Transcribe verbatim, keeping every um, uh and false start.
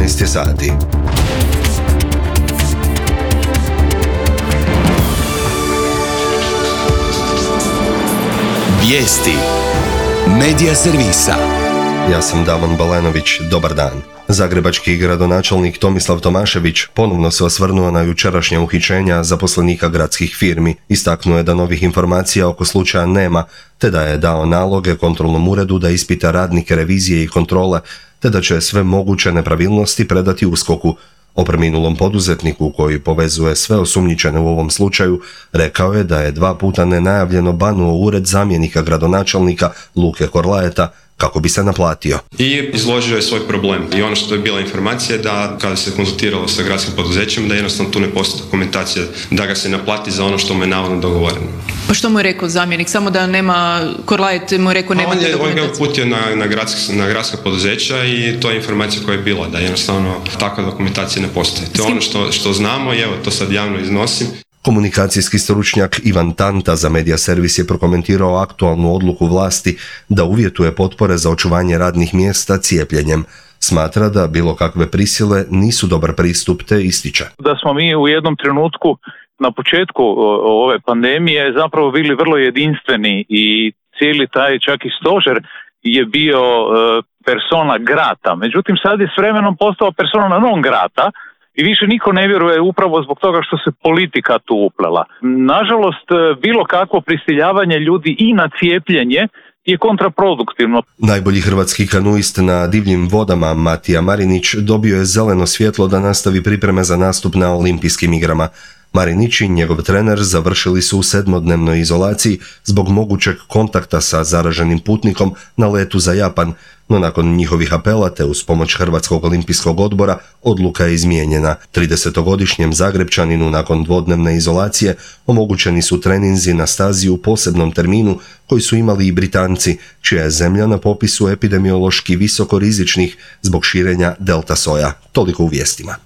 jedanaest je sati. Vijesti Medija servisa. Ja sam Davon Balenović, dobar dan. Zagrebački gradonačelnik Tomislav Tomašević ponovno se osvrnuo na jučerašnja uhićenja zaposlenika gradskih firmi. Istaknuo je da novih informacija oko slučaja nema, te da je dao naloge kontrolnom uredu da ispita radnike revizije i kontrole, te da će sve moguće nepravilnosti predati USKOK-u. O preminulom poduzetniku koji povezuje sve osumnjičene u ovom slučaju rekao je da je dva puta nenajavljeno banuo ured zamjenika gradonačelnika Luke Korlaeta kako bi se naplatio. I izložio je svoj problem. I ono što je bila informacija da kada se konzultiralo sa gradskim poduzećem da jednostavno tu ne postoji dokumentacija da ga se naplati za ono što mu je navodno dogovoreno. Pa što mu je rekao zamjenik? Samo da nema, Korlaet mu je rekao nema te dokumentacije. On je uputio na, na, gradska, na gradska poduzeća i to je informacija koja je bila, da jednostavno takva dokumentacija ne postoji. To je ono što, što znamo i evo to sad javno iznosim. Komunikacijski stručnjak Ivan Tanta za Medija servis je prokomentirao aktualnu odluku vlasti da uvjetuje potpore za očuvanje radnih mjesta cijepljenjem. Smatra da bilo kakve prisile nisu dobar pristup, te ističe. Da smo mi u jednom trenutku na početku ove pandemije zapravo bili vrlo jedinstveni i cijeli taj čak i stožer je bio persona grata. Međutim, sad je s vremenom postao persona non grata. I više niko ne vjeruje upravo zbog toga što se politika tu uplela. Nažalost, bilo kakvo prisiljavanje ljudi i na cijepljenje je kontraproduktivno. Najbolji hrvatski kanuist na divljim vodama Matija Marinić dobio je zeleno svjetlo da nastavi pripreme za nastup na Olimpijskim igrama. Marinić i njegov trener završili su u sedmodnevnoj izolaciji zbog mogućeg kontakta sa zaraženim putnikom na letu za Japan, no nakon njihovih apela te uz pomoć Hrvatskog olimpijskog odbora odluka je izmijenjena. tridesetogodišnjem Zagrebčaninu nakon dvodnevne izolacije omogućeni su treninzi na stazi u posebnom terminu koji su imali i Britanci, čija je zemlja na popisu epidemiološki visoko rizičnih zbog širenja delta soja. Toliko u vijestima.